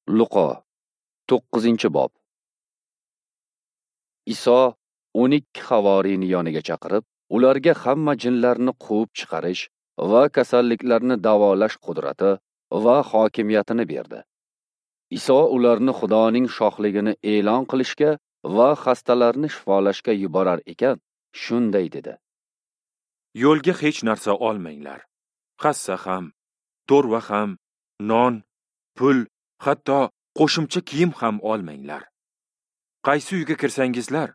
Luqo 9-bob. Iso 12 havoriyni yoniga chaqirib, ularga hamma jinlarni quvib chiqarish va kasalliklarni davolash qudrati va hokimiyatini berdi. Iso ularni Xudoning shohligini e'lon qilishga va xastalarni shifolashga yuborar ekan, shunday dedi: Yo'lga hech narsa olmanglar. Hassa ham, to'rva ham, non, pul, hatto qo'shimcha kiyim ham olmanglar. Qaysi uyga kirsangizlar,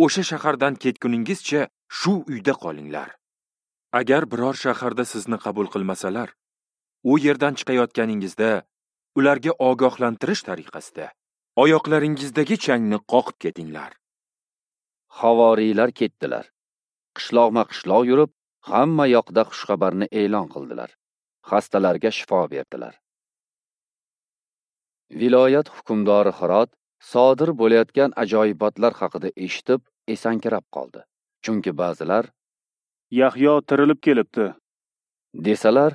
o'sha shahardan ketguningizcha shu uyda qolinglar. Agar biror shaharda sizni qabul qilmasalar, u yerdan chiqayotganingizda ularga ogohlantirish tariqasida oyoqlaringizdagi changni qoqib ketinglar. Havoriylar ketdilar. Qishloqma-qishloq yurib, hamma yoqda xushxabarni e'lon qildilar. Xastalarga shifo berdilar. Viloyat hukmdori Hirod sodir bo'layotgan ajoyibotlar haqida eshitib, esankirab qoldi. Chunki ba'zilar Yahyo tirilib kelibdi desalar,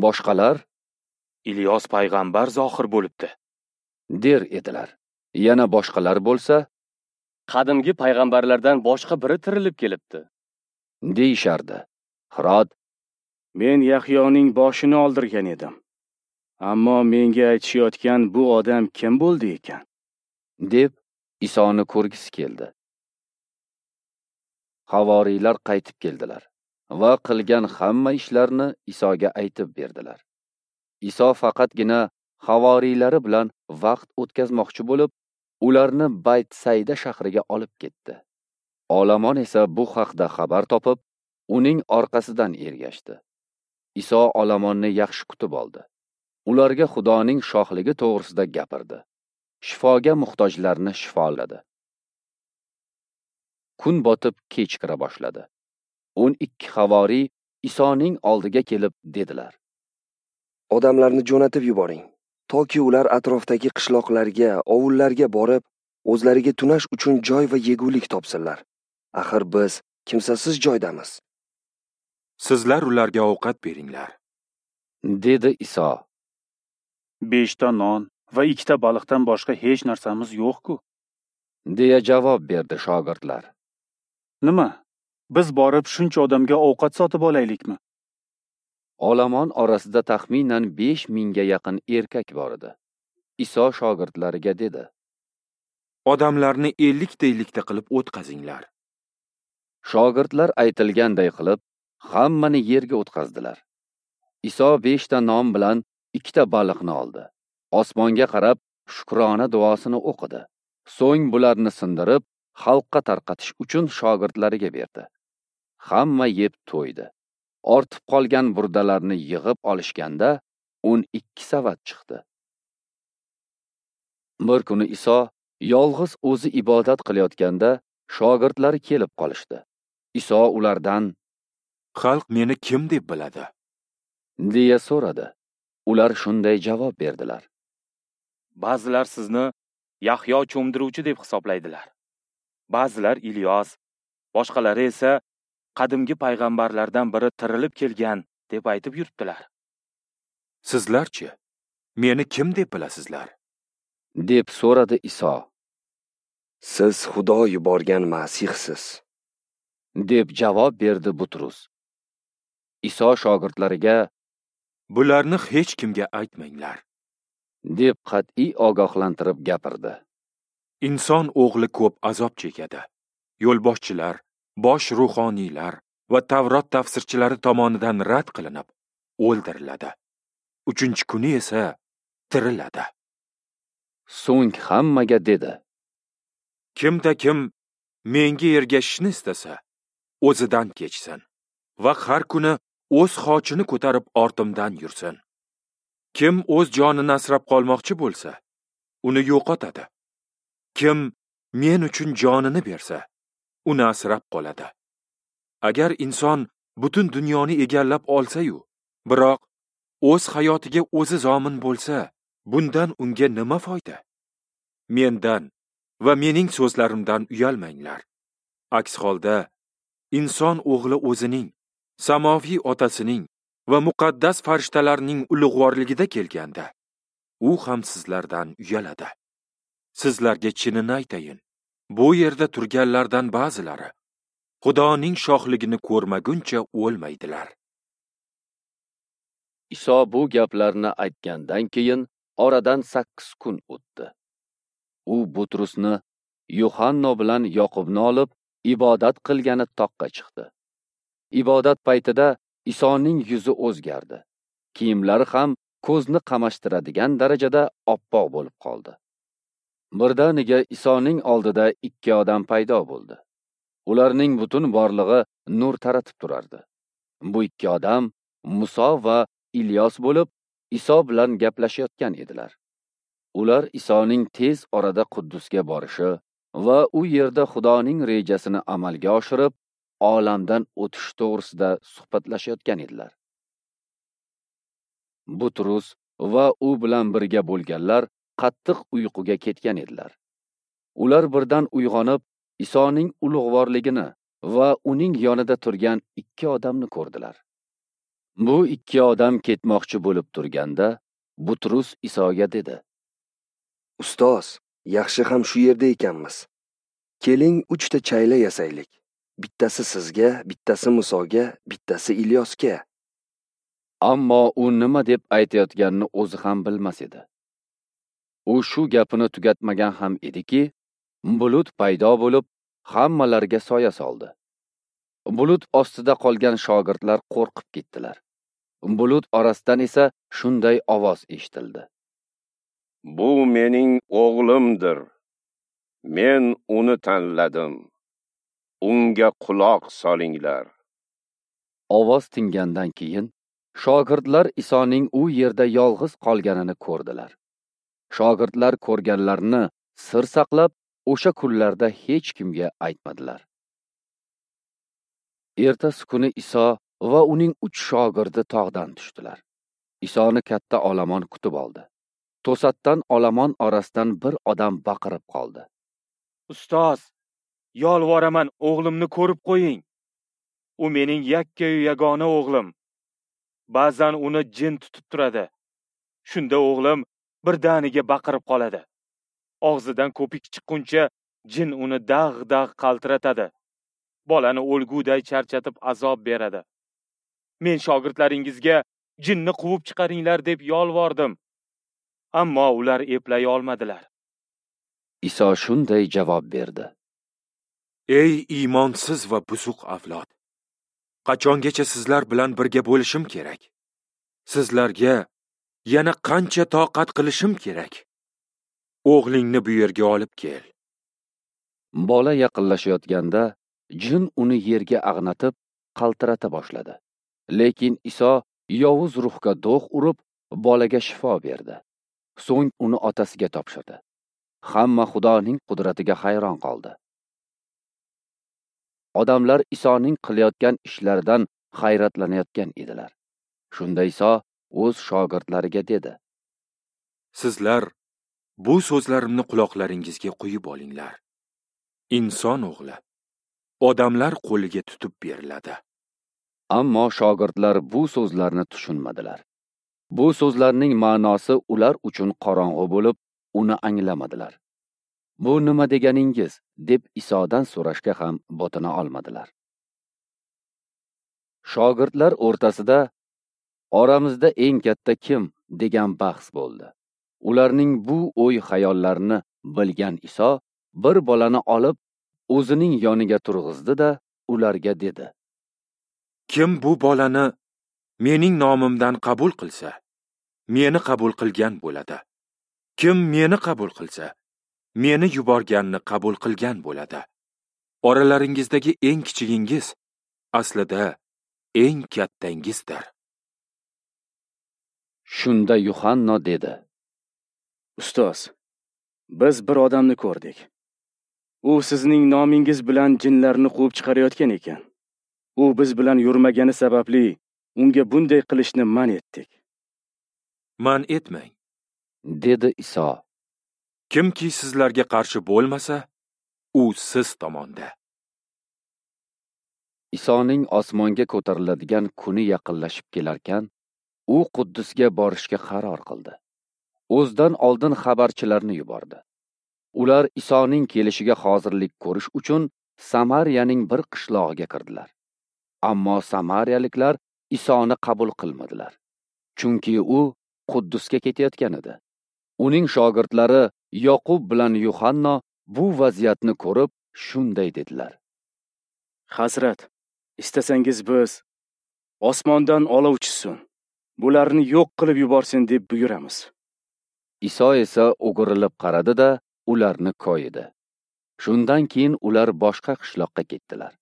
boshqalar Ilyos payg'ambar zohir bo'libdi der edilar. Yana boshqalar bo'lsa, qadimgi payg'ambarlardan boshqa biri tirilib kelibdi deyishardi. Hirod: Men Yahyoning boshini oldirgan edim. Ammo menga aytishayotgan bu odam kim bo'ldi ekan? deb Isoni ko'rgisi keldi. Havoriylar qaytib keldilar va qilgan hamma ishlarini Isoga aytib berdilar. Iso faqatgina havoriylari bilan vaqt o'tkazmoqchi bo'lib, ularni Baytsayda shahriga olib ketdi. Olomon esa bu haqda xabar topib, uning orqasidan ergashdi. Iso olomonni yaxshi kutib oldi. Ularga Xudoning shohligi to'g'risida gapirdi. Shifoga muhtojlarni shifoladi. Kun botib kech kira boshladi. 12 havoriy Isoning oldiga kelib dedilar: Odamlarni jo'natib yuboring, toki ular atrofdagi qishloqlarga, ovullarga borib, o'zlariga tunash uchun joy va yegulik topsinlar. Axir biz kimsasiz joydamiz. Sizlar ularga ovqat beringlar, dedi Iso. 5 ta non va 2 ta baliqdan boshqa hech narsamiz yo'q-ku, deya javob berdi shogirdlar. Nima? Biz borib shuncha odamga ovqat sotib olaylikmi? Olomon orasida taxminan 5000 ga yaqin erkak bor edi. Iso shogirdlariga dedi: Odamlarni 50 ta qilib o'tqazinglar. Shogirdlar aytilganday qilib, hammani yerga o'tqazdilar. Iso 5 ta non bilan 2 ta baliqni oldi. Osmonga qarab shukrona duosini o'qidi. So'ng bularni sindirib, xalqqa tarqatish uchun shogirdlariga berdi. Hamma yeb to'ydi. Ortib qolgan burdalarni yig'ib olishganda 12 savat chiqdi. Bir kuni Iso yolg'iz o'zi ibodat qilayotganda shogirdlari kelib qolishdi. Iso ulardan: Xalq meni kim deb biladi? deya so'radi. Ular shunday javob berdilar: Ba'zilar sizni Yahyo cho'mdiruvchi deb hisoblaydilar. Ba'zilar Ilyos, boshqalari esa qadimgi payg'ambarlardan biri tirilib kelgan deb aytib yuribdilar. Sizlarchi, meni kim deb bilasizlar? deb so'radi Iso. Siz Xudo yuborgan Masihsiz, deb javob berdi Butrus. Iso shogirdlariga: Bularni hech kimga aytmanglar, deb qat'iy ogohlantirib gapirdi. Inson o'g'li ko'p azob chekadi. Yo'lboshchilar, bosh ruhoniylar va Tavrot tafsirchilari tomonidan rad qilinib, o'ldiriladi. 3-kuni esa tiriladi. So'ng hammaga dedi: Kimda kim menga ergashishni istasa, o'zidan kechsin va har kuni o'z xochini ko'tarib ortimdan yursin. Kim o'z jonini asrab qolmoqchi bo'lsa, uni yo'qotadi. Kim men uchun jonini bersa, uni asrab qoladi. Agar inson butun dunyoni egallab olsa-yu, biroq o'z hayotiga o'zi zomin bo'lsa, bundan unga nima foyda? Mendan va mening so'zlarimdan uyalmanglar. Aks holda inson o'g'li o'zining, samoviy otasining va muqaddas farishtalarning ulug'vorligida kelganda, u ham sizlardan uyaladi. Sizlarga chinini aytayin, bu yerda turganlardan ba'zilari Xudoning shohligini ko'rmaguncha o'lmaydilar. Iso bu gaplarni aytgandan keyin oradan 8 kun o'tdi. U Butrusni, Yuhanno bilan Yoqubni olib, ibodat qilgani toqqa chiqdi. Ibodat paytida Isoning yuzi o'zgardi. Kiyimlari ham ko'zni qamashtiradigan darajada oppoq bo'lib qoldi. Birdaniga Isoning oldida 2 odam paydo bo'ldi. Ularning butun borlig'i nur taratib turardi. Bu 2 odam Muso va Ilyos bo'lib, Iso bilan gaplashayotgan edilar. Ular Isoning tez orada Quddusga borishi va u yerda Xudoning rejasini amalga oshirib, olamdan o'tish to'g'risida suhbatlashayotgan edilar. Butrus va u bilan birga bo'lganlar qattiq uyquga ketgan edilar. Ular birdan uyg'onib, Isoning ulug'vorligini va uning yonida turgan 2 odamni ko'rdilar. Bu 2 odam ketmoqchi bo'lib turganda, Butrus Isoga dedi: "Ustoz, yaxshi ham shu yerda ekanmiz. Keling, 3 ta chayla yasaylik. Bittasi sizga, bittasi Musoga, bittasi Ilyosga." Ammo u nima deb aytayotganini o'zi ham bilmas edi. U shu gapini tugatmagan ham ediki, bulut paydo bo'lib, hammalariga soya soldi. Bulut ostida qolgan shogirdlar qo'rqib ketdilar. Bulut orasidan esa shunday ovoz eshitildi: "Bu mening o'g'limdir. Men uni tanladim. Unga quloq solinglar." Ovoz tingandan keyin shogirdlar Isoning u yerda yolg'iz qolganini ko'rdilar. Shogirdlar ko'rganlarini sir saqlab, o'sha kunlarda hech kimga aytmadilar. Ertasi kuni Iso va uning 3 shogirdi tog'dan tushdilar. Isoni katta olomon kutib oldi. To'satdan olomon orasidan bir odam baqirib qoldi: "Ustoz, yolvoraman, o'g'limni ko'rib qo'ying. U mening yakkayu yagona o'g'lim. Ba'zan uni jin tutib turadi. Shunda o'g'lim birdaniga baqirib qoladi. Og'zidan ko'pik chiqquncha jin uni dag'-dag' qaltiratadi. Bolani o'lguday charchatib azob beradi. Men shogirdlaringizga jinni quvib chiqaringlar deb yolvordim. Ammo ular eplay olmadilar." Iso shunday javob berdi: "Ey iymonsiz va buzuq avlod! Qachongacha sizlar bilan birga bo'lishim kerak? Sizlarga yana qancha toqat qilishim kerak? O'g'lingni bu yerga olib kel." Bola yaqinlashayotganda jin uni yerga ag'natib, qaltirata boshladi. Lekin Iso yovuz ruhga do'q urib, bolaga shifo berdi. So'ng uni otasiga topshirdi. Hamma Xudoning qudratiga hayron qoldi. Odamlar Isoning qilayotgan ishlaridan hayratlanayotgan edilar. Shunda Iso o'z shogirdlariga dedi: "Sizlar bu so'zlarimni quloqlaringizga quyib olinglar. Inson o'g'li odamlar qo'liga tutib beriladi." Ammo shogirdlar bu so'zlarni tushunmadilar. Bu so'zlarning ma'nosi ular uchun qorong'u bo'lib, uni anglamadilar. "Bu nima deganingiz?" deb Isodan so'rashga ham botina olmadilar. Shogirdlar o'rtasida "Oramizda eng katta kim?" degan bahs bo'ldi. Ularning bu o'y xayollarini bilgan Iso bir bolani olib, o'zining yoniga turg'izdi-da, ularga dedi: "Kim bu bolani mening nomimdan qabul qilsa, meni qabul qilgan bo'ladi. Kim meni qabul qilsa, meni yuborganni qabul qilgan bo'ladi. Oralaringizdagi eng kichigingiz aslida eng kattangizdir." Shunda Yuhanno dedi: "Ustoz, biz bir odamni ko'rdik. U sizning nomingiz bilan jinlarni quvib chiqarayotgan ekan. U biz bilan yurmagani sababli unga bunday qilishni man etdik." "Man etmang," dedi Iso. "Kimki sizlarga qarshi bo'lmasa, u siz tomonda." Isoning osmonga ko'tariladigan kuni yaqinlashib kelarkan, u Quddusga borishga qaror qildi. o'zidan oldin xabarchilarni yubordi. Ular Isoning kelishiga hozirlik ko'rish uchun Samariyaning bir qishlog'iga kirdilar. Ammo samariyaliklar Isoni qabul qilmadilar, chunki u Quddusga ketayotgan edi. Uning shogirdlari Yoqub bilan Yuhanno bu vaziyatni ko'rib shunday dedilar: Hazrat, istasangiz biz osmondan olov tushsin, bularni yo'q qilib yuborsin deb buyuramiz. Iso esa o'girilib qaradi-da, ularni koyidi. Shundan keyin ular boshqa qishloqqa ketdilar.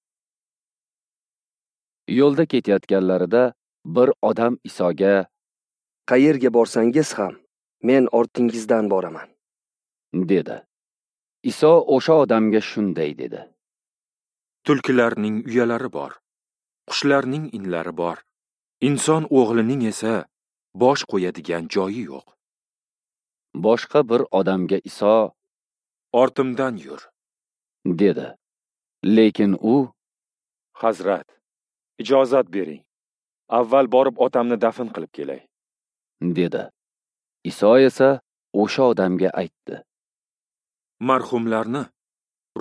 Yo'lda ketayotganlarida bir odam Isoga: Qayerga borsangiz ham men ortingizdan boraman, dedi. Iso o'sha odamga shunday dedi: Tulkilarning uyalari bor, qushlarning inlari bor, inson o'g'lining esa bosh qo'yadigan joyi yo'q. Boshqa bir odamga Iso: Ortimdan yur, dedi. Lekin u: Hazrat, ijozat bering. Avval borib otamni dafn qilib kelay, dedi. Iso esa o'sha odamga aytdi: Marhumlarni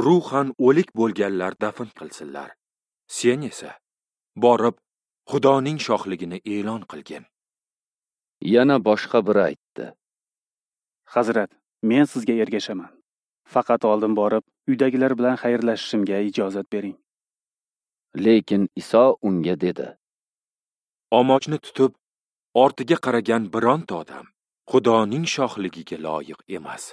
ruhan o'lik bo'lganlar dafn qilsinlar. Sen esa borib Xudoning shohligini e'lon qilgin. Yana boshqa biri aytdi: Hazrat, men sizga ergashaman. Faqat oldin borib uydagilar bilan xayrlashishimga ijozat bering. Lekin Iso unga dedi: Omochni tutib ortiga qaragan bironta odam Xudoning shohligiga loyiq emas.